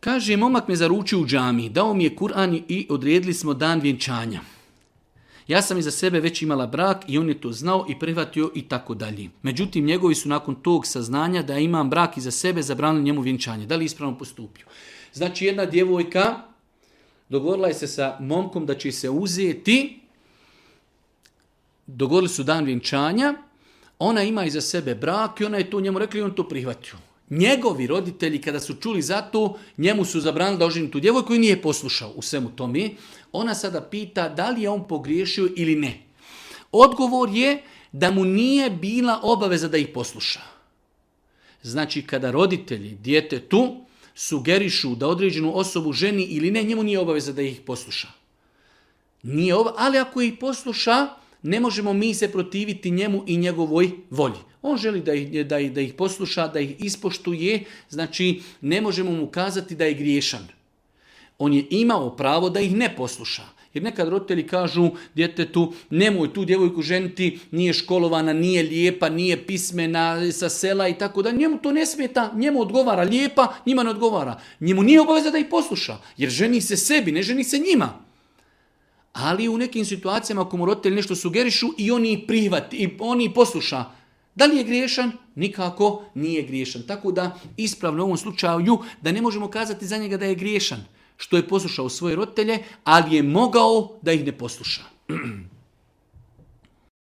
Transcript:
Kaže, momak me zaručio u džamiji, dao mi je Kur'an i odredili smo dan vjenčanja. Ja sam iza sebe već imala brak i on je to znao i prihvatio i tako dalje. Međutim, njegovi su nakon tog saznanja da imam brak iza sebe zabranili njemu vjenčanje. Da li ispravno postupio? Znači, jedna djevojka dogovorila je se sa momkom da će se uzeti, dogovorili su dan vjenčanja, ona ima iza sebe brak i ona je to njemu rekla i on to prihvatio. Njegovi roditelji kada su čuli za to, njemu su zabranili da oženi tu djevojku i nije poslušao u svemu tome. Ona sada pita da li je on pogriješio ili ne. Odgovor je da mu nije bila obaveza da ih posluša. Znači, kada roditelji djetetu sugerišu da određenu osobu ženi ili ne, njemu nije obaveza da ih posluša. Ali ako ih posluša, ne možemo mi se protiviti njemu i njegovoj volji. On želi da ih posluša, da ih ispoštuje, znači ne možemo mu kazati da je griješan. On je imao pravo da ih ne posluša. Jer nekad roditelji kažu djetetu, nemoj tu djevojku ženiti, nije školovana, nije lijepa, nije pismena, sa sela i tako da. Njemu to ne smeta, njemu odgovara lijepa, njima ne odgovara. Njemu nije obaveza da ih posluša, jer ženi se sebi, ne ženi se njima. Ali u nekim situacijama ako mu roditelji nešto sugerišu i oni prihvati, i oni posluša, da li je griješan? Nikako nije griješan. Tako da ispravno u ovom slučaju da ne možemo kazati za njega da je griješan, što je poslušao svoje roditelje, ali je mogao da ih ne posluša.